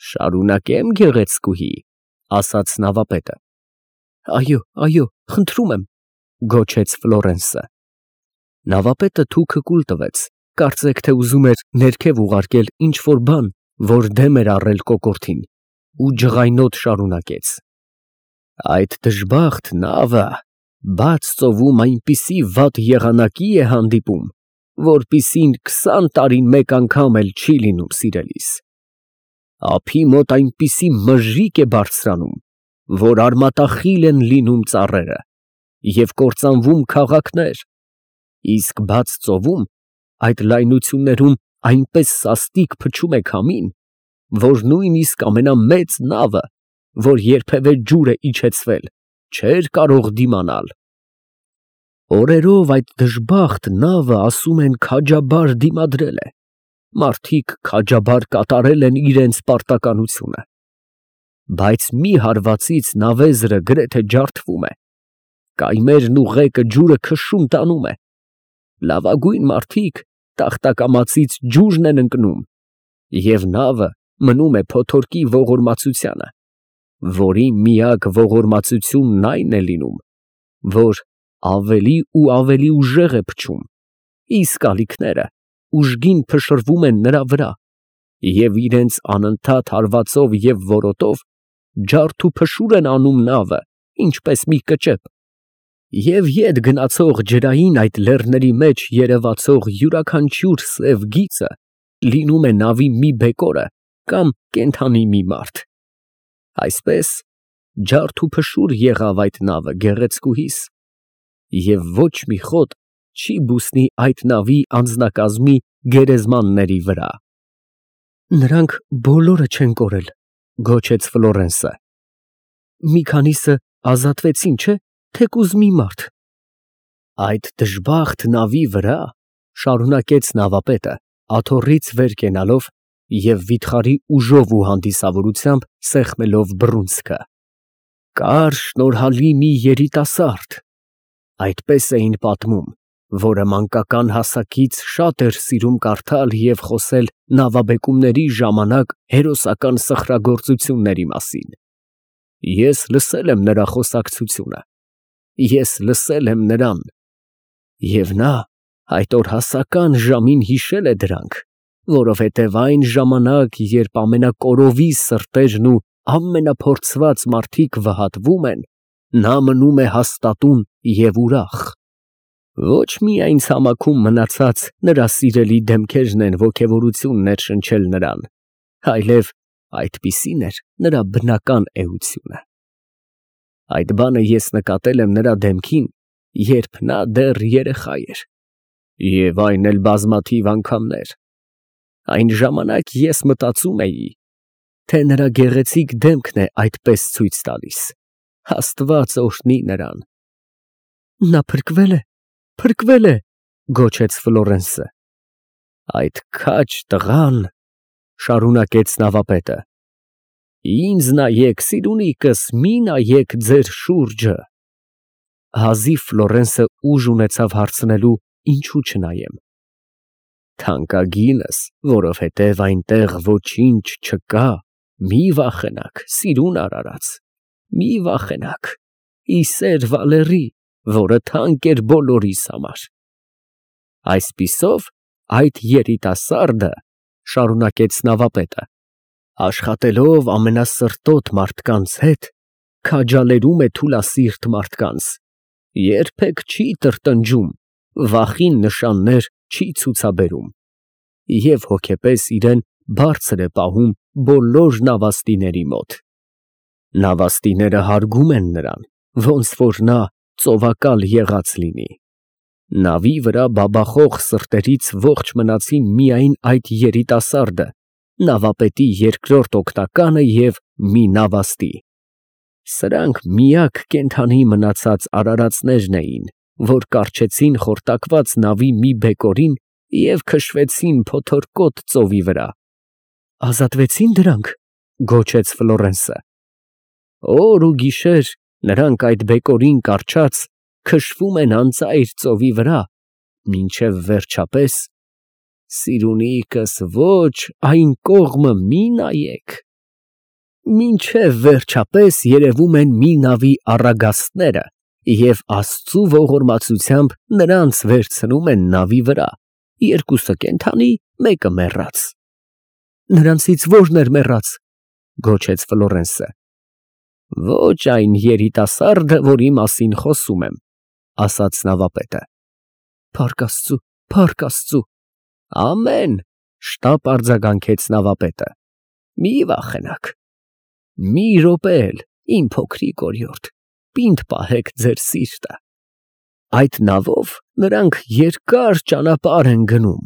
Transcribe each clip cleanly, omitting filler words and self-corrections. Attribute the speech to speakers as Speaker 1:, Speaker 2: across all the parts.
Speaker 1: Շարունակեմ, գեղեցկուհի, ասաց նավապետը։ Այո, խնդրում եմ, գոչեց Ֆլորենսը։ Նավապետը թուքը կուլ տվեց, կարծեք թե ուզում էր ներքև ուղարկել ինչ-որ բան, որ դեմ էր առել կոկորդին, ու ջղայնոտ շարունակեց. Այդ դժբախտ նավը բաց ծովում այնպիսի վատ եղանակի է հանդիպում, որպիսին 20 տարին մեկ անգամ էլ չի լինում, սիրելիս։ Ափի մոտ այնպիսի մժիկ է բարձրանում, որ արմատախիլ են լինում ծառերը և կործանվում քաղաքներ, իսկ բաց ծովում այդ լայնություններում այնպես սաստիկ փչում է քամին, որ նույնիսկ ամենամեծ նավը, որ երբևէ ջուր է իջեցվել, չէր կարող դիմանալ։ Օրերով այդ դժբախտ նավը, ասում են, քաջաբար դիմադրել է, մարդիկ քաջաբար կատարել են իրենց պարտականությունը, բայց մի հարվածից նավեզրը գրեթե ջարդվում է, կայմերն ու ղեկը ջուրը քշում տանում է, լավագույն մարդիկ տախտակամածից ջուրն են ընկնում, և նավը մնում է փոթորկի ողորմածությանը, որի միակ ողորմածությունն այն է լինում, որ ավելի ու ավելի ուժեղ է փչում, իսկ ալիքները ուժգին փշրվում են նրա վրա և իրենց անընդհատ հարվածով և որոտով ջարդ ու փշուր են անում նավը, ինչպես մի կճեպ, և ետ գնացող ջրային այդ լեռների մեջ երևացող յուրաքանչյուր սև գիծը լինում է նավի մի բեկորը կամ կենդանի մի մարդ։ Այսպես ջարդ ու փշուր եղավ այդ նավը, գեղեցկուհիս, և ոչ մի խոտ չի բուսնի այդ նավի անձնակազմի գերեզմանների վրա։ Նրանք բոլորը չեն կորել, գոչեց Ֆլորենսը։ Մի քանիսը ազատվեցին, չէ՞, թեկուզ մի մարդ։ Այդ դժբախտ նավի վրա, շարունակեց նավապետը, աթոռից վեր կենալով և վիթխարի ուժով ու հանդիսավորությամբ սեղմելով բռունցքը, կար շնորհալի մի երիտասարդ, այդպես էին պատմում, որը մանկական հասակից շատ էր սիրում կարդալ և խոսել նավաբեկումների ժամանակ հերոսական սխրագործությունների մասին։ Ես լսել եմ նրա խոսակցությունը, ես լսել եմ նրան, և նա այդ օրհասական ժամին հիշել է դրանք, որովհետև այն ժամանակ, երբ ամենակորովի սրտերն ու ամենափորձված մարդիկ վհատվում են, նա մնում է հաստատուն և ուրախ։ Ոչ միայն ցամաքում մնացած նրա սիրելի դեմքերն են ոգևորություն ներշնչել նրան, այլև այդպիսին էր նրա բնական էությունը։ Այդ բանը ես նկատել եմ նրա դեմքին, երբ նա դեռ երեխա էր, և այն էլ բազմաթիվ անգամներ։ Այն ժամանակ ես մտածում էի, թե նրա գեղեցիկ դեմքն է այդպես ցույց տալիս, Աստված օրհնի նրան։ Նա փրկվել է, գոչեց Ֆլորենսը։ Այդ քաջ տղան, շարունակեց նավապետը, ինձ նայեք, սիրունիկս, մի նայեք ձեր շուրջը։ Հազիվ Ֆլորենսը ուժ ունեցավ հարցնելու, ինչու չնայեմ։ Թանկագինս, որովհետև այնտեղ ոչինչ չկա, մի վախենաք, սիրուն արարած, մի վախենաք, ի սեր Վալերի, որը թանկ էր բոլորիս համար։ Այսպիսով, այդ երիտասարդը, շարունակեց նավապետը, աշխատելով ամենասրտոտ մարդկանց հետ, քաջալերում է թուլասիրտ մարդկանց, երբեք չի տրտնջում, վախին նշաններ չի ցուցաբերում և հոգեպես իրեն բարձր է պահում բոլոր նավաստիների մոտ։ Նավաստիները հարգում են նրան, ոնց որ նա ծովակալ եղած լինի։ Նավի վրա բաբախող սրտերից ողջ մնացին միայն այդ երիտասարդը, նավապետի երկրորդ օգնականը և մի նավաստի։ Սրանք միակ կենդանի մնացած արարածներն էին, որ կառչեցին խորտակված նավի մի բեկորին և քշվեցին փոթորկոտ ծովի վրա։ Ազատվեցի՞ն դրանք, գոչեց Ֆլորենսը։ Օր ու գիշեր նրանք այդ բեկորին կառչած քշվում են անծայր ծովի վրա, մինչև վերջապես, սիրունիկս, ոչ այն կողմը մի նայեք, Մինչև վերջապես երևում են մի նավի առագաստները և Աստծու ողորմածությամբ նրանց վերցնում են նավի վրա, երկուսը կենդանի, մեկը մեռած։ Նրանցից ո՞րն էր մեռած, գոչեց Ֆլորենսը։ Ոչ այն երիտասարդը, որի մասին խոսում եմ, ասաց նավապետը։ Փառք Աստծու, փառք Աստծու։ Ամեն, շտապ արձագանքեց նավապետը։ Մի վախենաք։ Մի րոպե էլ, իմ փոքրիկ օրիորդ, պինդ պահեք ձեր սիրտը։ Այդ նավով նրանք երկար ճանապարհ են գնում,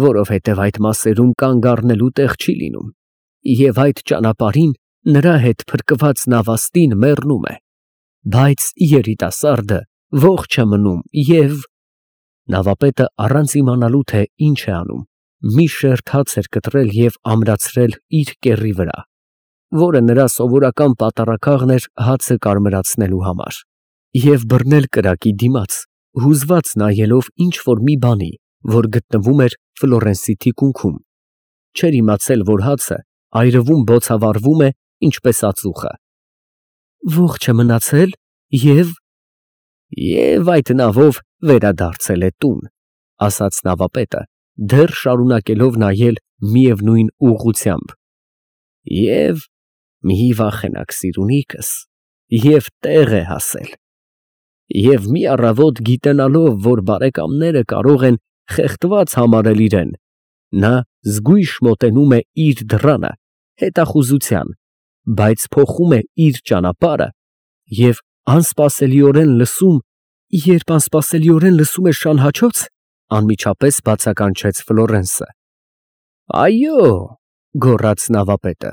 Speaker 1: որովհետև այդ մասերում կանգ առնելու տեղ չի լինում, և այդ ճանապարհին նրա հետ փրկված նավաստին մեռնում է, բայց երիտասարդը ողջ է մնում և… Նավապետը առանց իմանալու, թե ինչ է անում, մի շերտ հաց էր կտրել և ամրացրել իր կեռի վրա, որը նրա սովորական պատառաքաղն էր հացը կարմրացնելու համար, և բռնել կրակի դիմաց, հուզված նայելով ինչ֊որ մի բանի, որ գտնվում էր Ֆլորենսի թիկունքում, չէր իմացել, որ հացը այրվում բոցավառվում է, ինչպես ածուխը։ Ողջ է մնացել և այդ նավով վերադարձել է տուն, ասաց նավապետը, դեռ շարունակելով նայել միևնույն ուղղությամբ, և մի վախենաք, սիրունիքս, և տեղ է հասել, և մի առավոտ գիտենալով, որ բարեկամները կարող են խեղդված համարել իրեն, նա զգույշ մոտենում է իր դռանը հետախուզության, բայց փոխում է իր ճանապարհը և երբ անսպասելիորեն լսում է շանհաչոց, անմիջապես բացականչեց Ֆլորենսը։ Այո, գոռաց նավապետը,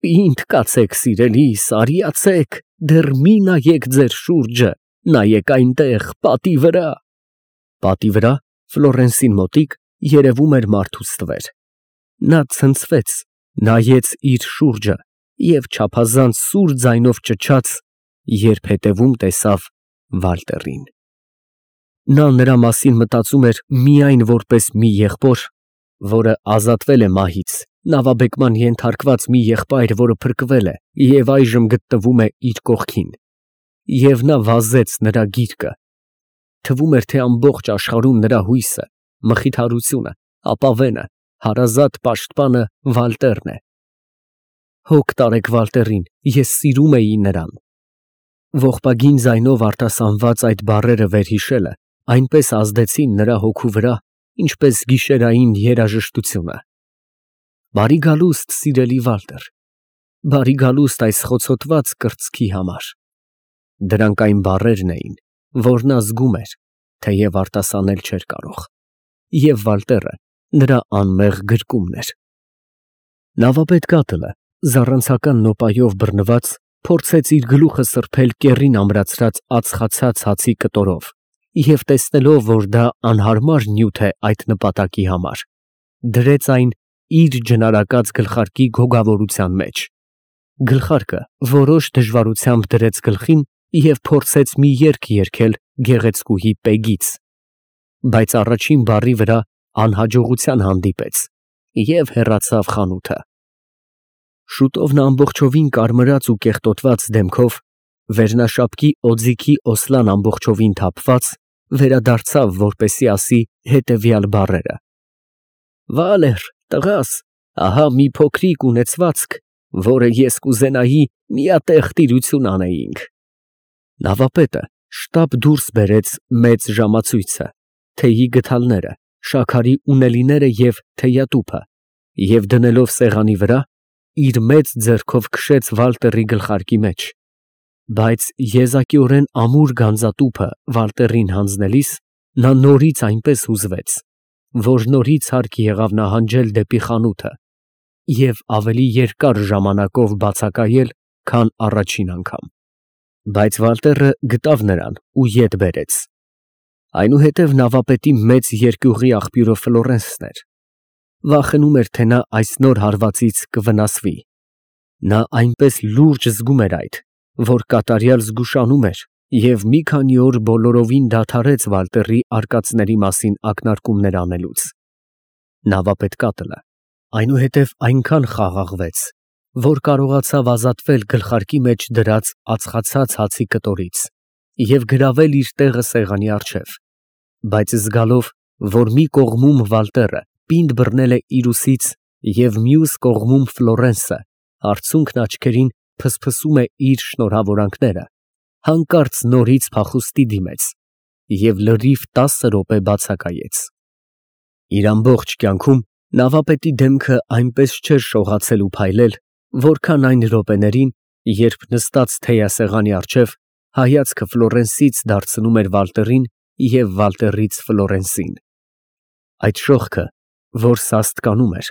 Speaker 1: պինդ կացեք, սիրելիս, արիացեք, դեռ մի նայեք ձեր շուրջը, նայեք այնտեղ, պատի վրա։ Պատի վրա, Ֆլորենսին մոտիկ, երևում էր մարդուս ստվեր։ Նա ցնցվեց, նայեց իր շուրջը և չափազանց սուր ձայնով ճչաց, երբ հետևում տեսավ Վալտերին։ Նա նրա մասին մտածում էր միայն որպես մի եղբոր, որը ազատվել է մահից, նավաբեկման ենթարկված մի եղբայր, որը փրկվել է և այժմ գտնվում է իր կողքին, և նա վազեց նրա գիրկը։ Թվում էր, թե ամբողջ աշխարհում նրա հույսը, մխիթարությունը, ապավենը, հարազատ պաշտպանը Վալտերն է։ Հոգ տարեք Վալտերին, ես սիրում էի նրան։ Ողբագին ձայնով արտասանված այդ բառերը վերհիշելը այնպես ազդեցին նրա հոգու վրա, ինչպես գիշերային երաժշտությունը։ Բարի գալուստ, սիրելի Վալտեր, բարի գալուստ այս խոցոտված կրծքի համար։ Դրանք այն բառերն էին, որ նա զգում էր, թեև արտասանել չէր կարող, և Վալտերը նրա անմեղ գրկումն էր։ Նավապետ կատլը, զառանցական նոպայով բռնված, փորձեց իր գլուխը սրբել կեռին ամրացրած ածխացած հացի կտորով և տեսնելով, որ դա անհարմար նյութ է այդ նպատակի համար, դրեց այն իր ջնարակած գլխարկի գոգավորության մեջ։ Գլխարկը որոշ դժվարությամբ դրեց գլխին և փորձեց մի երգ երգել գեղեցկուհի Պեգից, բայց առաջին բառի վրա անհաջողության հանդիպեց և հեռացավ խանութը։ Շուտով նա ամբողջովին կարմրած ու կեղտոտված դեմքով, վերնաշապկի օձիքի օսլան ամբողջովին թափված, վերադարձավ, որպեսզի ասի հետևյալ բառերը. Վալեր, տղաս, ահա մի փոքրիկ ունեցվածք, որը ես կուզենայի միատեղ տիրություն անեինք։ Նավապետը շտապ դուրս բերեց մեծ ժամացույցը, թեյի գդալները, շաքարի ունելիները և թեյատուփը և դնելով սեղանի վրա, իր մեծ ձեռքով քշեց Վալտերի գլխարկի մեջ, բայց եզակիորեն ամուր գանձատուփը Վալտերին հանձնելիս, նա նորից այնպես հուզվեց, որ նորից հարկ եղավ նահանջել դեպի խանութը և ավելի երկար ժամանակով բացակայել, քան առաջին անգամ։ Բայց Վալտերը գտավ նրան ու ետ բերեց։ Այնուհետև նավապետի մեծ երկյուղի աղբյուրը Ֆլորենսն էր։ Վախենում էր, թե նա այս նոր հարվածից կվնասվի։ Նա այնպես լուրջ զգում էր այդ, որ կատարյալ զգուշանում էր և մի քանի օր բոլորովին դադարեց Վալտերի արկածների մասին ակնարկումներ անելուց։ Նավապետ կատլը այնուհետև այնքան խաղաղվեց, որ կարողացավ ազատվել գլխարկի մեջ դրած ածխացած հացի կտորից և գրավել իր տեղը սեղանի առջև, բայց զգալով, որ մի կողմում Վալտերը պինդ բռնել է իր ուսից և մյուս կողմում Ֆլորենսը արցունքն աչքերին փսփսում է իր շնորհավորանքները, հանկարծ նորից փախուստի դիմեց և լրիվ 10 րոպե բացակայեց։ Իր ամբողջ կյանքում նավապետի դեմքը այնպես չէր շողացել ու փայլել, որքան այն րոպեներին, երբ նստած թեյասեղանի առջև հայացքը Ֆլորենսից դարձնում էր Վալտերին և Վալտերից Ֆլորենսին։ Այդ շողքը, որ սաստկանում էր,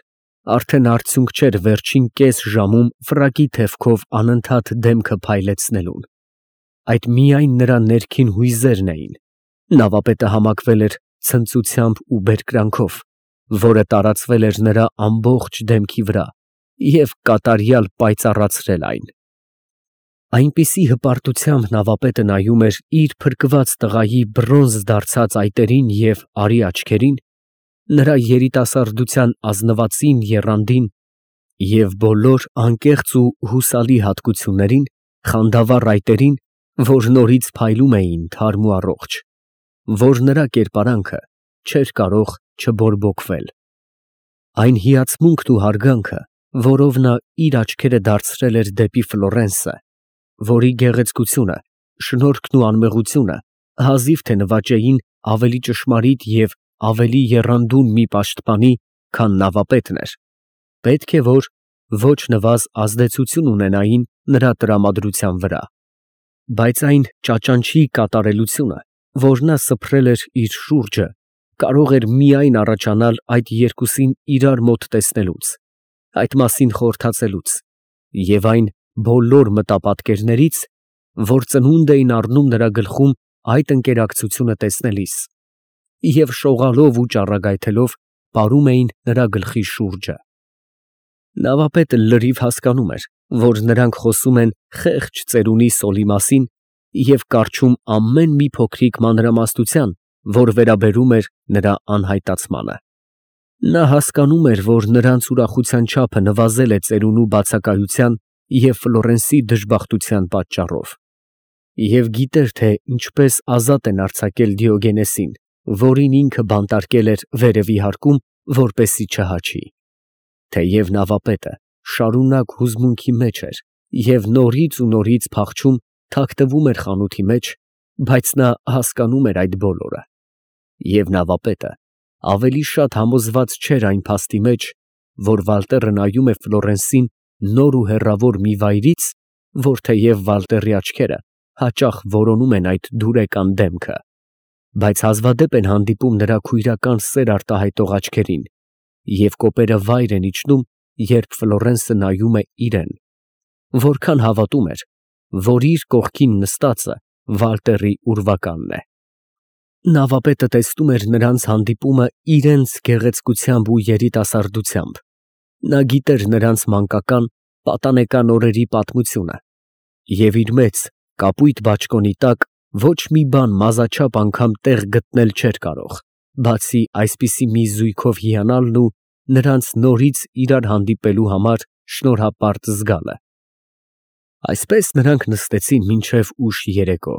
Speaker 1: արդեն արդյունք չէր վերջին կես ժամում ֆրակի թևքով անընդհատ դեմքը փայլեցնելուն։ Այդ միայն նրա ներքին հույզերն էին։ Նավապետը համակվել էր ցնծությամբ ու բերկրանքով, որը տարածվել էր նրա ամբողջ դեմքի վրա և կատարյալ պայծառացրել այն։ Այնպիսի հպարտությամբ նավապետը նայում էր իր փրկված տղայի բրոնզ դարձած այտերին և արի աչքերին, նրա երիտասարդության ազնվածին եռանդին և բոլոր անկեղծ ու հուսալի հատկություններին, խանդավառ այտերին, որ նորից փայլում էին թարմ ու առողջ, որ նրա կերպարանքը չէր կարող չբորբոքվել։ Այն հիացմունքն ու հարգանքը, որով նա իր աչքերը դարձրել էր դեպի Ֆլորենսը, որի գեղեցկությունը, շնորհքն ու անմեղությունը հազիվ թե նվաճեին ավելի ճշմարիտ և ավելի եռանդուն մի պաշտպանի, քան նավապետն էր, պետք է որ ոչ նվազ ազդեցություն ունենային նրա տրամադրության վրա, բայց այն ճաճանչի կատարելությունը, որ նա սփռել էր իր շուրջը, կարող էր միայն առաջանալ այդ երկուսին իրար մոտ տեսնելուց, այդ մասին խորհրդածելուց և այն բոլոր մտապատկերներից, որ ծնունդ էին առնում նրա գլխում այդ ընկերակցությունը տեսնելիս և շողալով ու ճառագայթելով պարում էին նրա գլխի շուրջը։ Նավապետը լրիվ հասկանում էր, որ նրանք խոսում են խեղճ ծերունի Սոլի մասին և կառչում ամեն մի փոքրիկ մանրամասնության, որ վերաբերում էր նրա անհայտացմանը։ Նա հասկանում էր, որ նրանց ուրախության չափը նվազել է ծերունու բացակայության և Ֆլորենսի դժբախտության պատճառով, և գիտեր, թե ինչպես ազատ են արձակել Դիոգենեսին, որին ինքը բանտարկել էր վերևի հարկում, որպեսզի չհաչի։ Թեև նավապետը շարունակ հուզմունքի մեջ էր և նորից ու նորից փախչում թաքնվում էր խանութի մեջ, բայց նա հասկանում էր այդ բոլորը, և նավապետը ավելի շատ համոզված չէր այն փաստի մեջ, որ Վալտերը նայում է Ֆլորենսին նոր ու հեռավոր մի վայրից, որ թեև Վալտերի աչքերը հաճախ որոնում են այդ դուրեկան դեմքը, բայց հազվադեպ են հանդիպում նրա քույրական սեր արտահայտող աչքերին, և կոպերը վայր են իջնում, երբ Ֆլորենսը նայում է իրեն, որքան հավատում էր, որ իր կողքին նստածը Վալտերի ուրվականն է։ Նավապետը տեսնում էր նրանց հանդիպումը իրենց գեղեցկությամբ ու երիտասարդությամբ, նա գիտեր նրանց մանկական, պատանեկան օրերի պատմությունը և իր մեծ, կապույտ բաճկոնի տակ ոչ մի բան մազաչափ անգամ տեղ գտնել չէր կարող, բացի այսպիսի մի զույգով հիանալն ու նրանց նորից իրար հանդիպելու համար շնորհապարտ զգալը։ Այսպես նրանք նստեցին մինչև ուշ երեկո։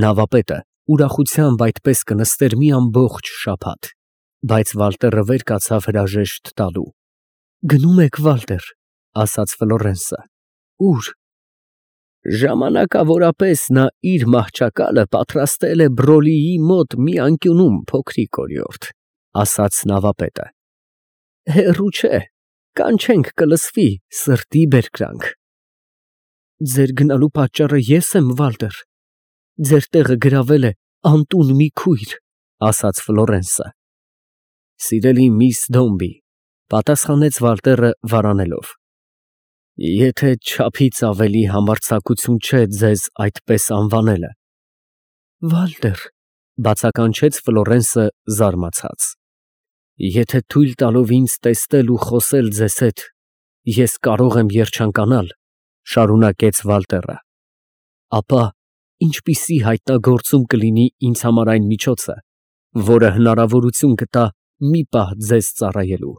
Speaker 1: Նավապետը ուրախությամբ այդպես կնստեր մի ամբողջ շաբաթ, բայց Վալտերը վեր կացավ հրաժեշտ տալու։ «Գնո՞ւմ եք, Վալտեր», ասաց Ֆլորենսը։ «Ո՞ւր»։ «Ժամանակավորապես նա իր մահճակալը պատրաստել է Բրոլիի մոտ մի անկյունում, փոքրիկ օրիորդ», ասաց նավապետը։ «Հեռու չէ, կանչենք կլսվի սրտի բերկրանք»։ «Ձեր գնալու պատճառը ես եմ, Վալտեր։ Ձեր տեղը գրավել է անտուն մի քույր», ասաց Ֆլորենսը։ «Սիրելի միս Դոմբի», պատասխանեց Վալտերը վարանելով, «եթե չափից ավելի համարձակություն չէ ձեզ այդպես անվանելը»։ «Վալտեր», բացականչեց Ֆլորենսը զարմացած, «եթե թույլ տալով ինձ տեսնել ու խոսել ձեզ հետ, ես կարող եմ երջանկանալ», շարունակեց Վալտերը, «ապա ինչպիսի հայտնագործում կլինի ինձ համար այն միջոցը, որը հնարավորություն կտա մի պահ ձեզ ծառայելու։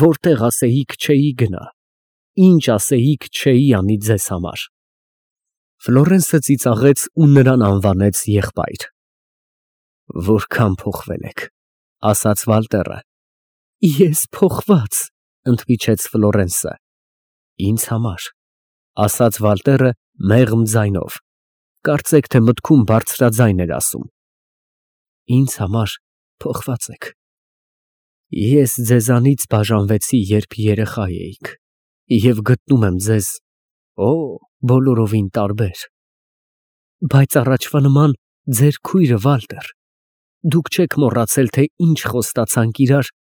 Speaker 1: Որտեղ ասեիք չէի գնա, ինչ ասեիք չէի անի ձեզ համար։ Ֆլորենսը ծիծաղեց ու նրան անվանեց եղբայր։ Որքան փոխվել եք, ասաց Վալտերը։ Ես փոխված, ընդմիջեց Ֆլորենսը։ Ինձ համար, ասաց Վալտերը մեղմ ձայնով, կարծեք թե մտքում բարձրաձայն էր ասում։ Ինձ համար փոխված եք։ Ես ձեզանից բաժանվեցի, երբ երեխա էիք, և գտնում եմ ձեզ, բոլորովին տարբեր։ Բայց առաջվա նման ձեր քույրը Վալտեր, դուք չեք մոռացել, թե ինչ խոստացանք իրար,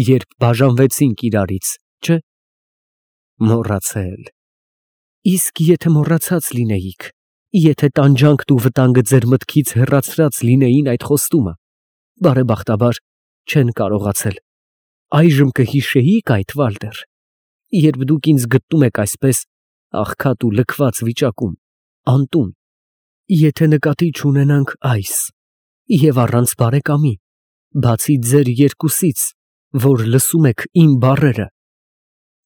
Speaker 1: երբ բաժանվեցինք իրարից, չէ՞։ Մոռացել։ Իսկ եթե մոռացած լինեիք, եթե տանջանքն ու վտանգը ձեր մտքից հեռացրած լինեին այդ խոստումը, բարեբախտաբար չեն կարողացել, այժմ կհիշեիք այդ, Վալտեր, երբ դուք ինձ գտնում եք այսպես աղքատ ու լքված վիճակում, անտուն, եթե նկատի չունենանք այս, և առանց բարեկամի, բացի ձեր երկուսից, որ լսում եք իմ բառերը,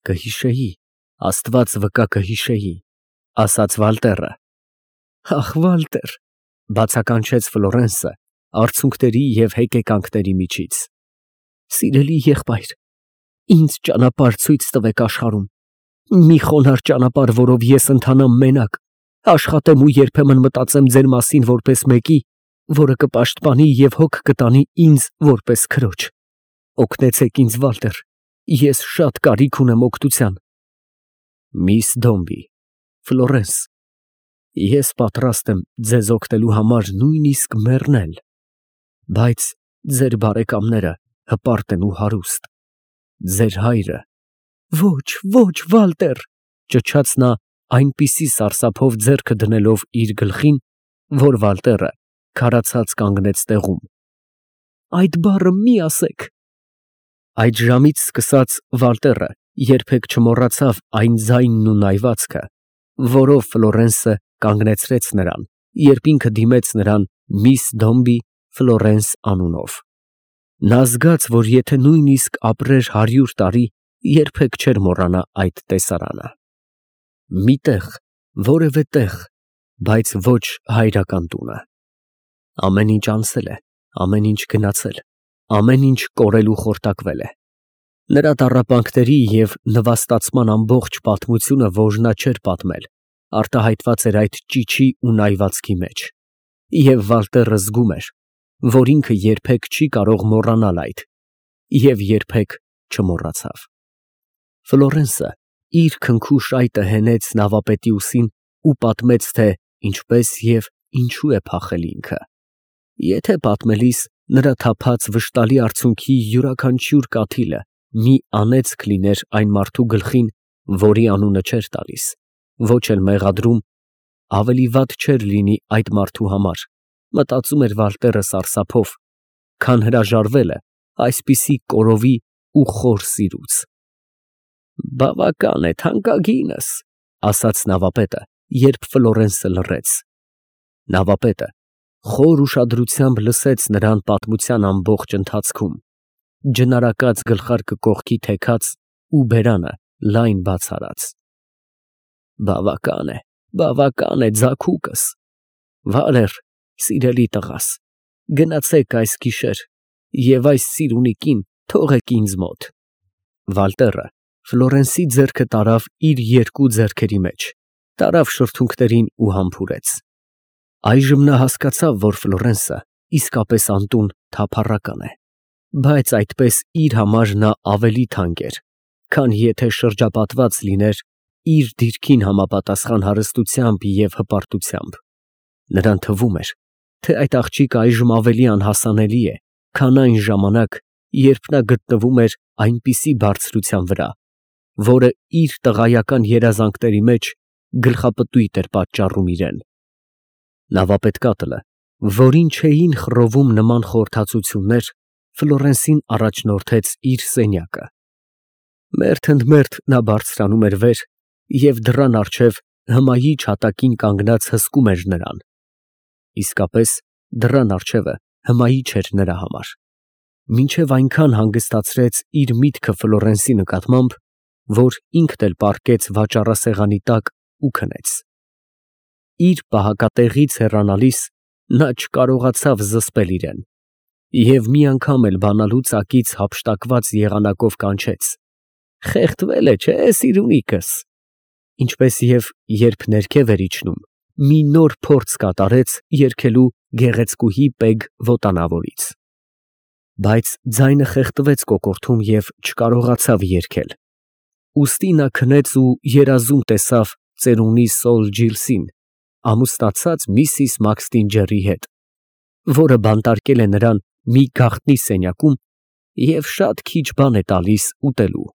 Speaker 1: կհիշեի, Աստված վկա կհիշեի, ասաց Վալտերը։ Ախ, Վալտեր, բացականչեց Ֆլորենսը արցունքների և հեկեկանքների միջից։ Սիրելի եղբայր, ինձ ճանապարհ ցույց տվեք աշխարհում, մի խոնարհ ճանապարհ, որով ես ընթանամ մենակ, աշխատեմ ու երբեմն մտածեմ ձեր մասին որպես մեկի, որը կպաշտպանի և հոգ կտանի ինձ որպես քրոջ։ Օգնեցեք ինձ, Վալտեր, ես շատ կարիք ունեմ օգնության։ Միս Դոմբի, Ֆլորենս, ես պատրաստ եմ ձեզ օգնելու համար նույնիսկ մեռնել, բայց ձեր բարեկամները հպարտ են ու հարուստ։ Ձեր հայրը… Ոչ, Վալտեր, ճչաց նա այնպիսի սարսափով ձեռքը դնելով իր գլխին, որ Վալտերը քարացած կանգնեց տեղում։ Այդ բառը մի ասեք։ Այդ ժամից սկսած Վալտերը երբեք չմոռացավ այն ձայնն ու նայվածքը, որով Ֆլորենսը կանգնեցրեց նրան, երբ ինքը դիմեց նրան միս Դոմբի Ֆլորենս անունով։ Նա զգաց, որ եթե նույնիսկ ապրեր 100 տարի, երբեք չէր մոռանա այդ տեսարանը։ Մի տեղ, որևէ տեղ, բայց ոչ հայրական տունը։ Ամեն ինչ անցել է, ամեն ինչ գնացել, ամեն ինչ կորել ու խորտակվել է։ Նրա տառապանքների և նվաստացման ամբողջ պատմությունը, որ նա չէր պատմել, արտահայտված էր այդ ճիչի ու նայվածքի մեջ, և Վալտերը զգում էր, որ ինքը երբեք չի կարող մոռանալ այդ, և երբեք չմոռացավ։ Ֆլորենսը իր քնքուշ այտը հենեց նավապետի ուսին ու պատմեց, թե ինչպես և ինչու է փախել ինքը։ Եթե պատմելիս նրա թափած վշտալի արցունքի յուրաքանչյուր կաթիլը մի անեծք լիներ այն մարդու գլխին, որի անունը չէր տալիս, ոչ էլ մեղադրում, ավելի վատ չէր լինի այդ մարդու համար, մտածում էր Վալտերը սարսափով, քան հրաժարվելը այսպիսի կորովի ու խոր սիրուց։ Բավական է, թանկագինս, ասաց նավապետը, երբ Ֆլորենսը լռեց։ Նավապետը խոր ուշադրությամբ լսեց նրան պատմության ամբողջ ընթացքում, ջնարակած գլխարկը կողքի թեքած ու բերանը լայն բաց արած։ Բավական է, ձագուկս։ Վալեր, սիրելի տղաս, գնացեք այս գիշեր և այս սիրունիկին թողեք ինձ մոտ։ Վալտերը Ֆլորենսի ձեռքը տարավ իր երկու ձեռքերի մեջ, տարավ շրթունքներին ու համբուրեց։ Այժմ նա հասկացավ, որ Ֆլորենսը իսկապես անտուն թափառական է, բայց այդպես իր համար նա ավելի թանկ էր, քան եթե շրջապատված լիներ իր դիրքին համապատասխան հարստությամբ և հպարտությամբ։ Նրան թվում էր, թե այդ աղջիկը այժմ ավելի անհասանելի է, քան այն ժամանակ, երբ նա գտնվում էր այնպիսի բարձրության վրա, որը իր տղայական երազանքների մեջ գլխապտույտ էր պատճառում իրեն։ Նավապետկատլը, որին չէին խռովում նման խորհրդածություններ, Ֆլորենսին առաջնորդեց իր սենյակը։ Մերթ ընդ մերթ նա բարձրանում էր վեր և դռան առջև հմայիչ հատակին կանգնած հսկում էր նրան։ Իսկապես, դռան առջևը հմայիչ էր նրա համար։ Մինչև այնքան հանգստացրեց իր միտքը Ֆլորենսի նկատմամբ, որ ինքն էլ պառկեց վաճառասեղանի տակ ու քնեց։ Իր պահակատեղից հեռանալիս նա չկարողացավ զսպել իրեն և մի անգամ էլ բանալու ծակից հափշտակված եղանակով կանչեց. «Խեղդվել է, չէ՞, սիրունիկս»։ Ինչպես և երբ ներքև էր իջնում, մի նոր փորձ կատարեց երգելու գեղեցկուհի Պեգ Վոտանավորից։ Բայց ձայնը խեղդվեց կոկորդում և չկարողացավ երգել։ Ուստի նա քնեց ու երազում տեսավ ծերունի Սոլ Ջիլսին ամուսնացած միսիս Մաքսթինջերի հետ, որը բանտարկել է նրան մի գաղտնի սենյակում և շատ քիչ բան է տալիս ուտելու։